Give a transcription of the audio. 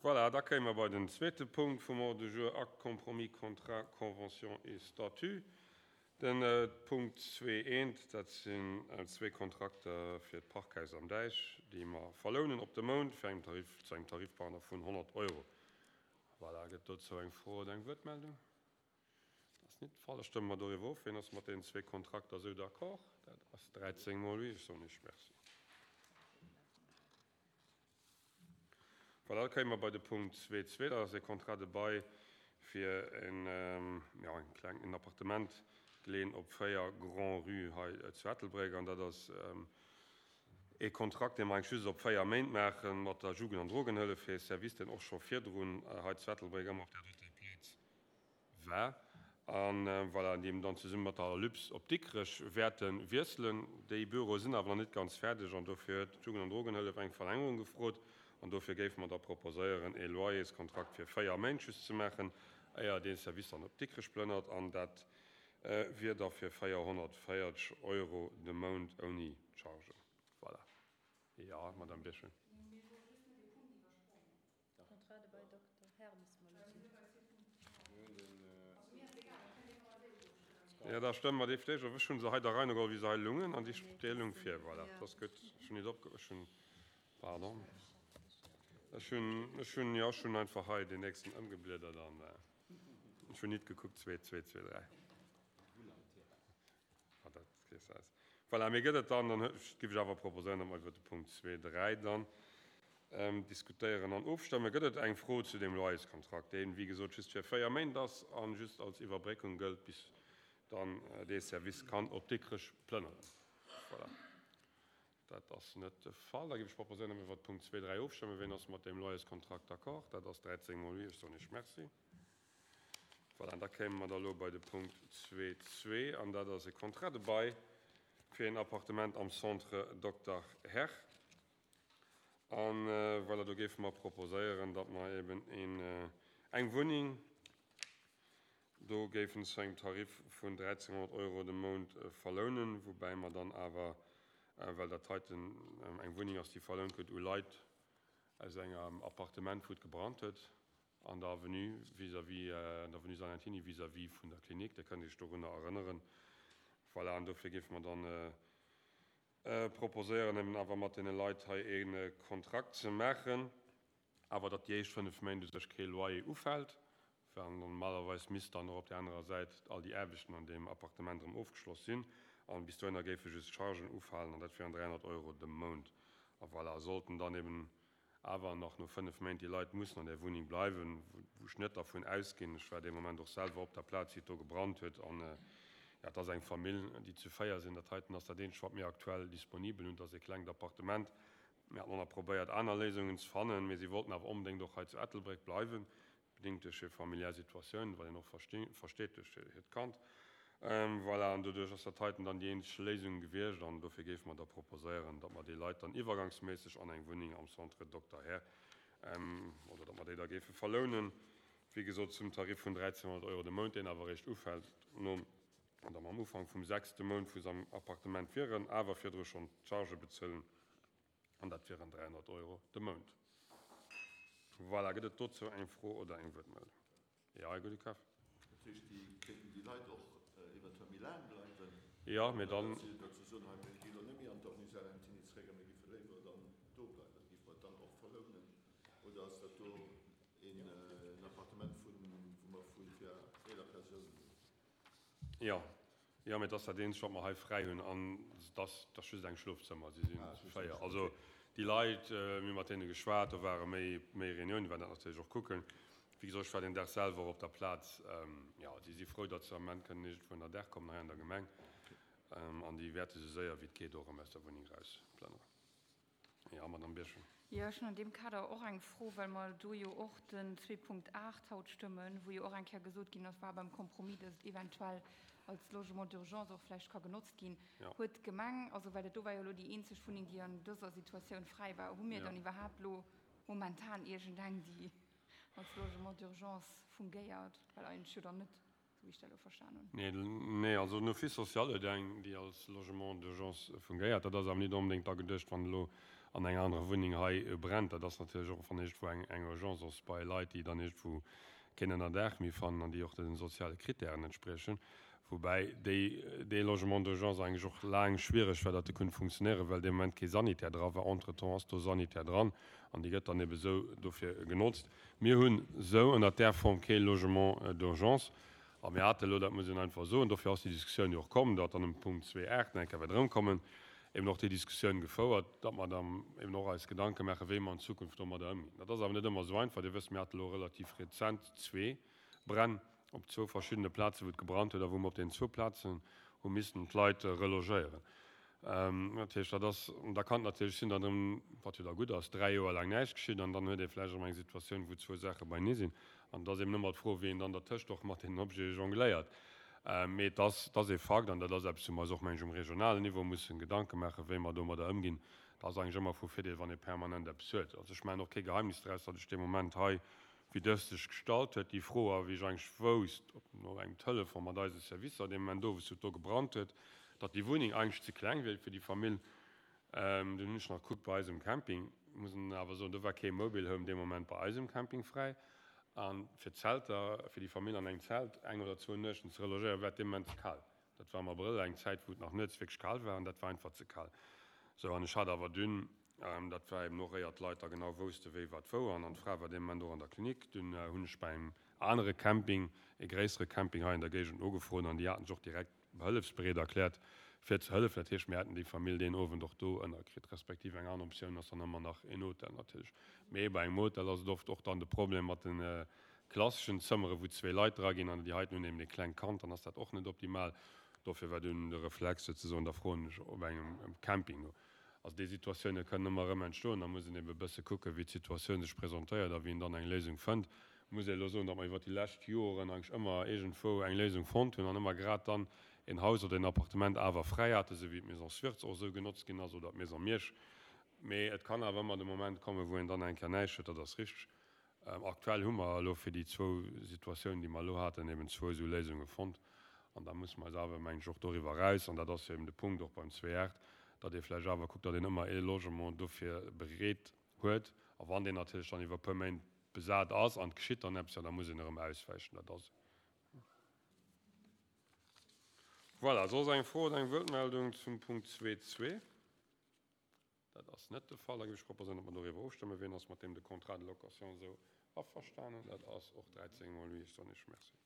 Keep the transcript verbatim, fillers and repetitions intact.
Voilà, da kéime mer bei den zweete Punkt vum Ordre du jour, Acte, Compromis, Contrat, Convention et Statut. Den Punkt zwee eent, dat sinn zwee Kontrakter fir d'Parkhaus am Däich, déi mer verlounen op de Mount fir engem Tarif, zu engem Tarifpartner vun honnert Euro. Voilà, gëtt dozou eng Fro oder eng Wuertmeldung? Dat ass net de Fall. Da stëmme mer doriwwer of. Wien ass mat deenen zwee Kontrakter esou d'accord? Dat ass dräizéng mol oui. Ech soen Iech Merci. Voilà, da kéime mer bei de Punkt zwee zwee. Dat ass e Contrat de bail fir en, jo, en kleng, en Appartement geleeën op véier Grand-Rue hei zu Ettelbréck. An dat ass e Kontrakt, dee mer eigentlech just op véier Méint maache mat der Jugend an Drogenhëllef, fir e Service, deen och scho virdrun hei zu Ettelbréck ëmmer op där doter Plaz war. An voilà, déi dann zesumme mat der Alyps op Dikrech wäerte wiesselen. Déi Büroe sinn awer nach net ganz fäerdeg an dofir huet d'Jugend an Drogenhëllef eng Verlängerung gefrot. An dofir géife mer da proposéieren, e Loyerskontrakt fir véier Méint just ze maachen, éier dee Service dann op Dikrech plënnert. An dat wier da fir véierhonnertvéierzeg Euro de Mount ouni Chargen. Voilà. Jo, Madame Birchen. Jo, da stëmme mer déi vläicht of. Ech hu se hei der Rei no geholl, wéi se hei lungen, an déi déi lung vir. Voilà, dat ass gutt. Ech hunn nit opge-, ech hunn, pardon, ech hunn, ech hunn, jo, ech hunn einfach hei deen nächsten ëmgebliedert an ech hunn nit gekuckt, zwee, zwee, zwee, dräi. Ah, dat gees aus. Voilà, mir gëtt et dann, dann géif ech awer proposéieren, datt mer iwwert de Punkt zwee, dräi dann diskutéieren an ofstëmmen. Gëtt et eng Fro zu deem Loyerskontrakt, deen, wéi gesot, just fir véier Méint ass a just als Iwwerbréckung gëllt, bis dann dee Service kann op Dikrech plënneren? Voilà, dat ass net de Fall. Da géif ech proposéieren, datt mer iwwert Punkt zwee, dräi ofstëmmen. Wien ass mat deem Loyerskontrakt d'accord? Dat ass dräizéng mol oui. Ech soen Iech Merci. Voilà, an da kéime mer da elo bei de Punkt zwee zwee, an dat ass e Contrat de bail fir een Appartement am Centre Dokter Herr. An voilà, do géife mer proposéieren, datt mer eben een, eng Wunneng do géifen zu engem Tarif vun dräizénghonnert Euro de Mount verlounen, woubäi mer dann awer, well dat heiten eng Wunneng ass, déi verlount gëtt u Leit aus engem Appartement, wou et gebrannt huet, an der Avenue vis-à-vis, an der Avenue Salentiny vis-à-vis vun der Klinik, Dir kënnt Iech dorunner erënneren. Voilà, an dofir géife mer dann proposéieren, eben awer mat deene Leit hei e Kontrakt ze maachen, awer datt déi éischt fënnef Méint u sech kee Loyer ufält, well normalerweis misst dann och op där anerer Säit all déi Aarbechten an deem Appartement erëm ofgeschloss sinn, an bis dohinner géife just Chargen ufalen, an dat wieren dräihonnert Euro de Mount. A voilà, sollten dann eben awer nach no fënnef Méint déi Leit mussen an där Wunneng bleiwen, wou ech net dervun ausginn, ech war dee Moment och selwer op der Plaz, wéi et do gebrannt huet, an jo, et ass eng Famill, déi zu véier sinn, dat heiten ass dat eenzegt, wat mir aktuell disponibel hunn, et ass e klengt Appartement. Mir haten och nach probéiert, aner Léisungen ze fannen, mee si wollten awer onbedéngt och hei zu Ettelbréck bleiwen, bedéngt duerch hir familiär Situatioun, wat een och versteet duerch hiert Kand. Voilà, an doduerch ass dat heiten dann déi eenzeg Léisung gewiescht an dofir géife mer da proposéieren, datt mer déi Leit dann iwwergangsméisseg an eng Wunneng am Centre Dokter Herr, oder datt mer déi da géife verlounen, wéi gesot zum Tarif vun dräizénhonnert Euro de Mount, deen awer eréischt ufält nom, oder mam Ufank vum sechste Mount, wou se am Appartement wieren, awer virdru schonn d'Chargë bezuelen, an dat wieren dräihonnert Euro de Mount. Voilà, gëtt et dozou eng Fro oder eng Wuertmeldung? Jo, Här Goudekaf. Dat heescht, déi kéinten déi Leit och eventuell méi laang bleiwen? Jo, mee dann. Datt se soen, hei, mir gi lo net méi an d'Avenue Salentiny zréck a mir géife léiwer dann do bleiwen. Géife mer et dann och verlounen? Oder ass dat do een Appartement, wou mer vu fir eeler Persounen hunn? Jo, jo, mee et ass dat eenzegt, wat mer hei fräi hunn. An et ass, et ass just eng Schlofzëmmer. Si si véier. Also déi Leit, mir hu mat deene geschwat, do ware méi, méi Reuniounen, déi waren dat natierlech och kucken. Wéi gesot, ech war deen Dag selwer och op der Plaz. Jo, déi si frou, datt se am Ament kënnen iergendwou ënner Daach kommen hei an der Gemeng. An déi wäerte sou séier wéi et geet och erëm aus der Wunneng erausplënneren. Jo, Madamm Birchen. Jo, ech hunn an deem Kader och eng Fro, well mer do jo och den zwee Punkt aacht haut stëmmen, wou jo och eng Kéier gesot ginn ass, war beim Compromis, datt et eventuell als Logement d'urgence och vläicht ka genotzt ginn. Huet d'Gemeng, also well dat do war jo elo déi eenzeg Wunneng, déi an dëser Situatioun fräi war, hu mir dann iwwerhaapt elo momentan iergendeng, déi als Logement d'urgence fungéiert? Well eigentlech jo dann net, esou wéi ech dat elo verstan hunn. Nee, nee, also den Office social huet eng, déi als Logement d'urgence fungéiert. Dat ass awer net onbedéngt da geduecht, wann elo an enger anerer Wunneng hei brennt. Dat ass natierlech och wann iergendwou eng eng Urgence ass bei Leit, déi dann iergendwou keen Ënnerdaach méi fannen an déi och den soziale Kritären entspriechen. Woubäi déi dee Logement d'urgence eigentlech och laang schwiereg war, datt e konnt funktionéieren, well dee Moment kee Sanitär dra war. Entretemps ass do Sanitär dran an déi gëtt dann ebe sou dofir genotzt. Mir hunn sou ënnert där Form kee Logement d'urgence a mir hate elo, dat muss een einfach soen, dofir ass déi Diskussioun jo och komm, datt dann um Punkt zwee aacht nach eng Kéier wäert erëmkommen, eben och déi Diskussioun gefouert, datt mer dann eben och eis Gedanke maachen, wéi mer an Zukunft domadder ëmginn. Dat ass awer net ëmmer esou einfach. Dir wësst, mir hate elo relativ rezent zwee Bränn op zwou verschiddene Plazen, wou et gebrannt huet a wou mer op deenen zwou Plazen hu missen d'Leit relogéieren. Dat heescht, dat ass, da kann et natierlech sinn, datt erëm, wat jo da gutt ass, dräi Joer laang näischt geschitt an dann huet ee vläicht erëm eng Situatioun, wou zwou Saache beinee sinn. An et ass eben ëmmer d'Fro, wéi een dann dertëscht och mat deenen Objete jongléiert. Mee et ass, et ass ee Fakt an dat ass eppes, wou mer eis och, meng ech, um regionalen Niveau mussen Gedanke maachen, wéi mer domadder ëmginn. Et ass eigentlech ëmmer vu Virdeel, wann ee permanent eppes huet. Also ech maachen och kee Geheimnis draus, datt ech dee Moment hei, wéi dës sech gestallt huet, déi Fro, a wéi ech eigentlech wousst, op no engem Telefon mat eise Servicer dee Moment owes, wou et do gebrannt huet, datt déi Wunneng eigentlech ze kleng wier fir déi Famill. Dunn hunn ech nach gekuckt bei eisem Camping, muss een awer soen, do war kee Mobile Home dee Moment bei eisem Camping fräi. A fir d'Zelter, fir déi Famill an engem Zelt eng oder zwou Nuechten ze relogéieren, war et dee Moment ze kal. Dat war am Abrëll, eng Zäit, wou et nach nuets wierklech kal war, an dat war einfach ze kal. Sou, an ech hat awer dunn, dat war eben och éier d'Leit da genau wousste wéi wat wou, an d'Fra war dee Moment och an der Klinik, dunn hunn ech bei engem anere Camping, e gréissere Camping hei an der Géigend nogefrot, an déi haten sech och direkt hëllefsbereet erkläert, fir ze hëllefen. Dat heescht, mir hätten déi Famill deen Owend och do ënnerkritt, respektiv eng aner Optioun ass dann ëmmer nach en Hotel natierlech. Mee bei engem Hotel ass et oft och dann de Problem mat de klasseschen Zëmmere wou zwee Leit dra ginn an déi heiten hunn eben e klengt Kand, dann ass dat och net optimal. Dofir war dunn de Reflex souzesoen, da froen ech op engem Camping no. Also déi Situatioune kënnen ëmmer erëm entstoen, da muss een eben e bësse kucken, wéi d'Situatioun sech presentéiert a wéi een dann eng Léisung fënnt. Muss ee elo soen, datt mer iwwert déi lescht Joren eigentlech ëmmer iergendwou eng Léisung fonnt hunn an ëmmer grad dann een Haus oder een Appartement awer fräi haten, esou wéi d'Maison Swirtz och esou genotzt ginn ass oder d'Maison Miersch. Mee et kann awer ëmmer de Moment kommen, wou een dann eng Kéier näischt huet, dat ass richteg. Aktuell hu mer elo fir déi zwou Situatiounen, déi mer elo haten, eben zwou esou Léisunge fonnt. An da musse mer eis awer, mengen ech, och doriwwer eraus, an dat ass jo eben de Punkt och beim zwee aacht, datt ee vläicht awer kuckt, datt een ëmmer ee Logement dofir bereet huet. A wann deen natierlech dann iwwer e puer Méint besat ass an et geschitt dann eppes, jo da muss een erëm auswäichen. Dat ass. Voilà, soss eng Fro oder eng Wuertmeldung zum Punkt zwee zwee? Dat ass net de Fall. Da géif ech proposéieren, datt mer doriwwer ofstëmmen. Wien ass mat deem de Contrat de location esou averstanen? Dat ass och dräizéng mol oui. Ech soen Iech Merci.